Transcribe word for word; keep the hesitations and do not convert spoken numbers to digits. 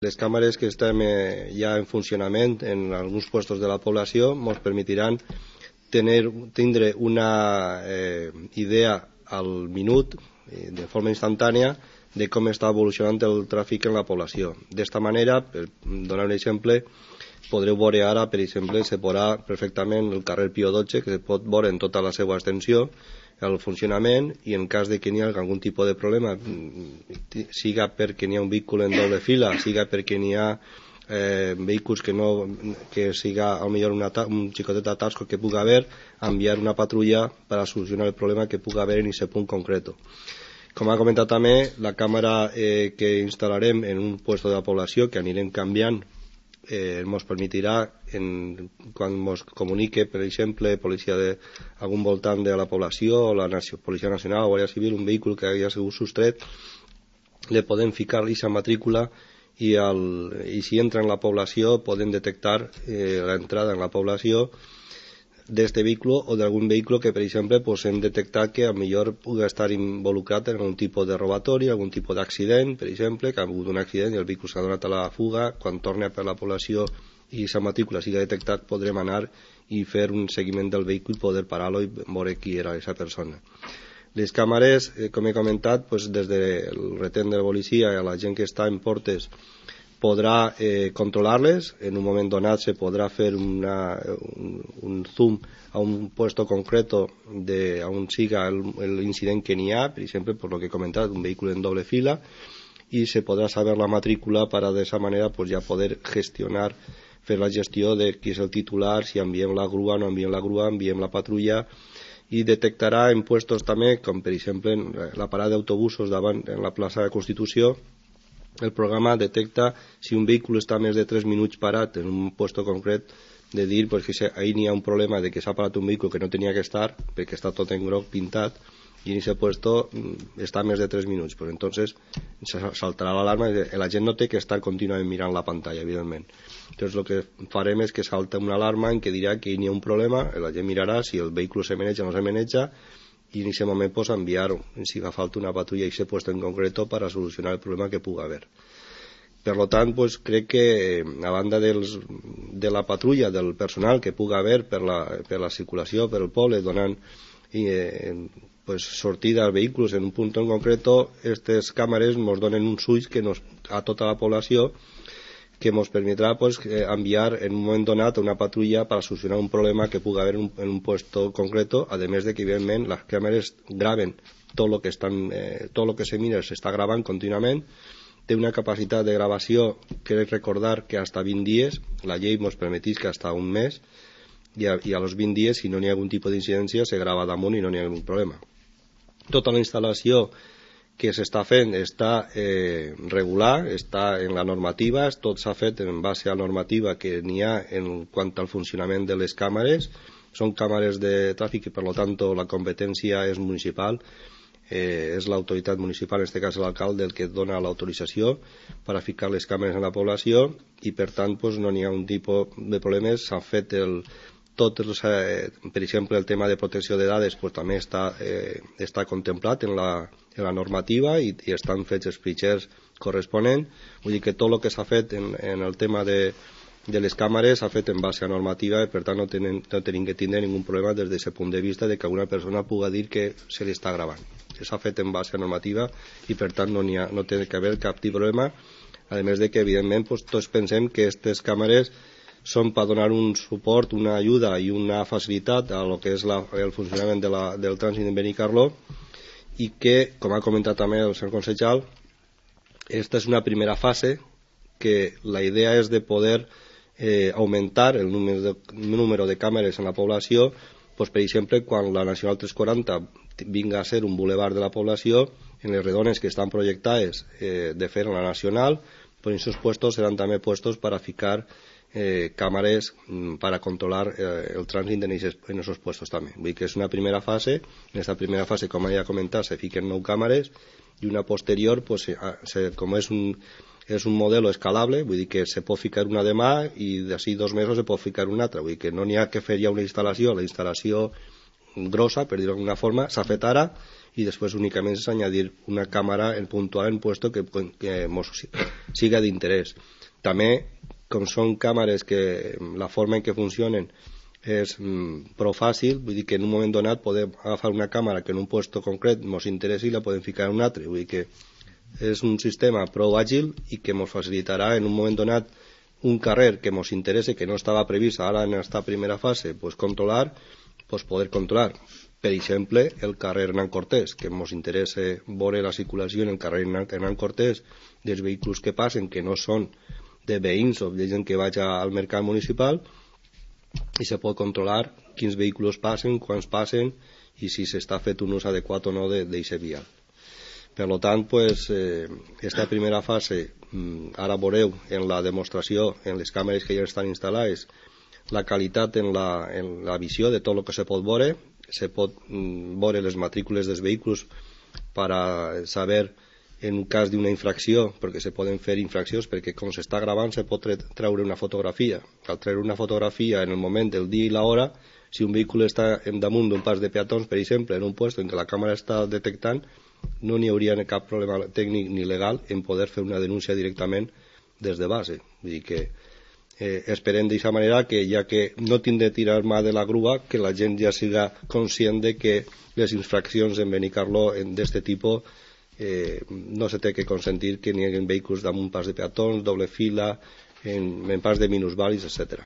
Les càmeres que estem eh, ja en funcionament en alguns puestos de la població ens permetiran tener, tindre una eh, idea al minut, eh, de forma instantània, de com està evolucionant el tràfic en la població. D'esta manera, per donar un exemple, podreu veure ara, per exemple, se veurà perfectament el carrer Pío dotze, que se pot veure en tota la seva extensió, el funcionament, i en cas de que n'hi hagi algun tipus de problema, siga perquè n'hi ha un vehicle en doble fila, siga perquè n'hi ha eh, vehicles que no que siga a lo millor una, un xicotet atasco que puga haver, enviar una patrulla per a solucionar el problema que puga haver en aquest punt concreto. Com ha comentat també, la càmera eh, que instal·larem en un puesto de la població, que anirem canviant, eh, ens permetirà, en, quan ens comunique, per exemple, policia de algun voltant de la població, o la nació, Policia Nacional o Guàrdia Civil, un vehicle que hagi sigut sostret, le podem ficar aquesta matrícula i, el, i si entra en la població podem detectar eh, l'entrada en la població d'este vehicle o d'algun vehicle que, per exemple, pues, hem detectat que a millor pugui estar involucrat en algun tipus de robatori, algun tipus d'accident, per exemple, que ha hagut un accident i el vehicle s'ha donat a la fuga. Quan torni per la població i aquesta matrícula sigui detectat, podrem anar i fer un seguiment del vehicle i poder parar-lo i veure qui era aquesta persona. Les càmeres, eh, com he comentat, pues, des del retén de la policia a la gent que està en portes podrà eh, controlar-les. En un moment donat se podrà fer una, un, un zoom a un puesto concreto de on siga l'incident que n'hi ha, per exemple, per lo que he comentat, un vehicle en doble fila, i se podrà saber la matrícula para de esa manera pues, ja poder gestionar, fer la gestió de qui és el titular, si enviem la grua, no enviem la grua, enviem la patrulla, i detectarà en puestos també, com per exemple en la parada d'autobusos davant en la plaça de Constitució. El programa detecta si un vehicle està més de tres minuts parat en un puesto concret, de dir pues, que ahí n'hi ha un problema de que s'ha parat un vehicle que no tenia que estar perquè està tot en groc pintat i en aquest puesto està més de tres minuts. Pues entonces saltarà l'alarma i la gent no té que estar contínuament mirant la pantalla, evidentment. Entonces el que farem és que salta una alarma en què dirà que hi ha un problema, la gent mirarà si el vehicle se maneja o no se maneja i en aquest moment pues, enviar, si fa falta, una patrulla a aquest puesto en concreto para solucionar el problema que puga haver. Per lo tant, pues, crec que a banda dels, de la patrulla, del personal que puga haver per la, per la circulació, per el poble, donant eh, pues, sortida als vehicles en un punt en concreto, aquestes càmeres ens donen uns ulls que nos, a tota la població, que ens permetrà pues, enviar en un moment donat una patrulla per solucionar un problema que pugui haver en un, en un puesto concreto, a més de que, evidentment, les càmeres graven tot el que, estan, eh, tot el que se mira, s'està gravant contínuament, té una capacitat de gravació, crec recordar que hasta vint dies, la llei ens permetís que hasta un mes, i a, i a los vint dies, si no n'hi ha algun tipus d'incidència, se grava damunt i no n'hi ha algun problema. Tota la instal·lació que s'està fent està eh, regular, està en la normativa, tot s'ha fet en base a la normativa que n'hi ha en quant al funcionament de les càmeres. Són càmeres de tràfic i per tant la competència és municipal, eh, és l'autoritat municipal, en aquest cas l'alcalde, el que dona l'autorització per a ficar les càmeres en la població i per tant pues, no n'hi ha un tipus de problemes. S'han fet el tot, eh, per exemple, el tema de protecció de dades pues, també està, eh, està contemplat en la, en la normativa i, i estan fets els fitxers corresponents. Vull dir que tot el que s'ha fet en, en el tema de, de les càmeres s'ha fet en base a normativa i per tant no tenen, no tenim que tindre ningun problema des d'aquest punt de vista de que alguna persona pugui dir que se li està gravant. S'ha fet en base a normativa i per tant no, ha, no té que haver cap tipus de problema, a més de que evidentment pues, tots pensem que aquestes càmeres són per donar un suport, una ajuda i una facilitat a lo que és la, el funcionament de la, del trànsit de Benicarló i que, com ha comentat també el senyor consellal, esta és una primera fase que la idea és de poder eh, augmentar el número de, el número de càmeres en la població, pues, per exemple, quan la Nacional tres quaranta vinga a ser un bulevard de la població, en les redones que estan projectades eh, de fer en la Nacional, pues, en esos puestos seran també puestos para ficar Eh, càmeres mm, para controlar eh, el trànsit en esos puestos també. Vull dir que és una primera fase. En aquesta primera fase, com ja he comentat, se fiquen nou càmeres i una posterior, pues, se, se, com és un, és un modelo escalable, vull dir que se pot ficar una demà i d'ací dos mesos se pot ficar una altra. Vull dir que no n'hi ha que fer ja una instal·lació. La instal·lació grossa, per dir-ho d'alguna forma, s'ha fet ara y después únicamente es añadir una cámara en puntual en puesto que, que mos siga de interés. També, com són càmeres que la forma en què funcionen és mm, prou fàcil, vull dir que en un moment donat podem agafar una càmera que en un puesto concret ens interessi i la podem ficar en un altre, vull dir que és un sistema prou àgil i que ens facilitarà en un moment donat un carrer que ens interessa, que no estava previst ara en aquesta primera fase, pues controlar, pues poder controlar. Per exemple, el carrer Hernán Cortés, que ens interessa veure la circulació en el carrer Hernán Cortés dels vehicles que passen, que no són de veïns o de gent que vaja al mercat municipal, i se pot controlar quins vehicles passen, quants passen i si s'està fet un ús adequat o no d'aquest vial. Per tant, pues, eh, esta primera fase, ara veureu en la demostració, en les càmeres que ja estan instal·lades, la qualitat en la, en la visió de tot el que se pot veure, se pot mm, veure les matrícules dels vehicles per a saber en un cas d'una infracció, perquè se poden fer infraccions, perquè com s'està gravant se pot treure una fotografia. Al treure una fotografia en el moment del dia i l'hora, si un vehicle està damunt d'un pas de peatons, per exemple, en un lloc en què la càmera està detectant, no n'hi hauria cap problema tècnic ni legal en poder fer una denúncia directament des de base. Vull dir que eh, esperem d'aquesta manera que, ja que no tindré de tirar mà de la grua, que la gent ja siga conscient de que les infraccions en Benicarló d'aquest tipus Eh, no se té que consentir que n'hi hagi vehicles damunt pas de peatons, doble fila, en, en pas de minusvàlids, etcètera.